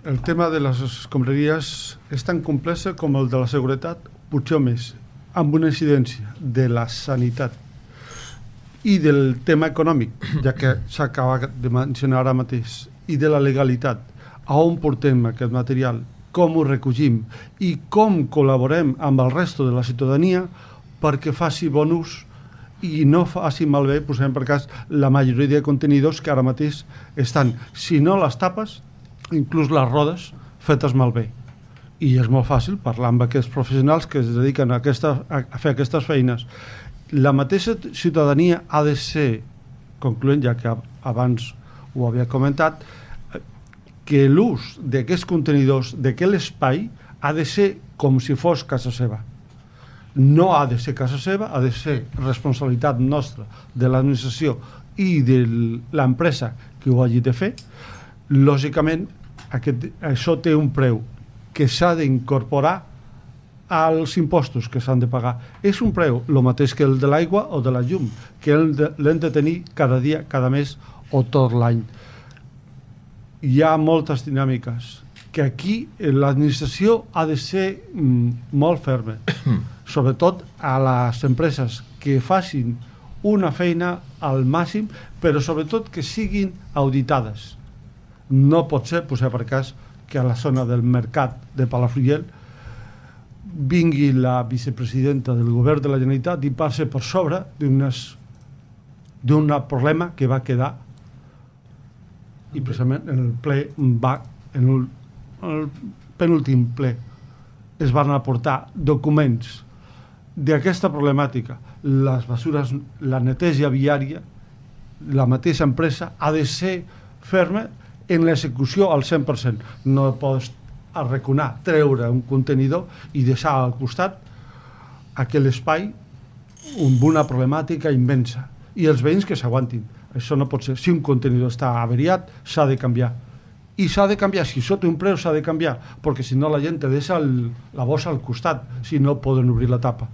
El tema de les escombraries és tan complex com el de la seguretat, potser més, amb una incidència de la sanitat i del tema econòmic, ja que s'acaba de mencionar ara mateix, i de la legalitat, a on portem aquest material, com ho recollim i com col·laborem amb el resto de la ciutadania perquè faci bon ús i no faci malbé, posem per cas, la majoria de contenidors que ara mateix estan, si no les tapes, inclús les rodes, fetes malbé. I és molt fàcil parlar amb aquests professionals que es dediquen a fer aquestes feines. La mateixa ciutadania ha de ser, concloent, ja que abans ho havia comentat, que l'ús d'aquests contenidors, d'aquest espai, ha de ser com si fos casa seva. No ha de ser casa seva, ha de ser responsabilitat nostra, de l'administració i de l'empresa que ho hagi de fer. Lògicament, això té un preu que s'ha d'incorporar als impostos que s'han de pagar. És un preu, el mateix que el de l'aigua o de la llum, que l'hem de tenir cada dia, cada mes o tot l'any. Hi ha moltes dinàmiques que aquí l'administració ha de ser molt ferma, sobretot a les empreses que facin una feina al màxim, però sobretot que siguin auditades. No pot ser, posar per cas, que a la zona del mercat de Palafrugell vingui la vicepresidenta del govern de la Generalitat i passi per sobre d'un problema que va quedar i precisament en el ple en el penúltim ple es van aportar documents d'aquesta problemàtica, les bessures, la neteja viària, la mateixa empresa ha de ser ferma en l'execució al 100%. No pots arraconar, treure un contenidor i deixar al costat aquell espai amb una problemàtica immensa i els veïns que s'aguantin. Això no pot ser. Si un contenidor està averiat, s'ha de canviar. I s'ha de canviar. Si això té un preu, s'ha de canviar. Perquè si no la gent te deixa la bossa al costat, si no poden obrir la tapa.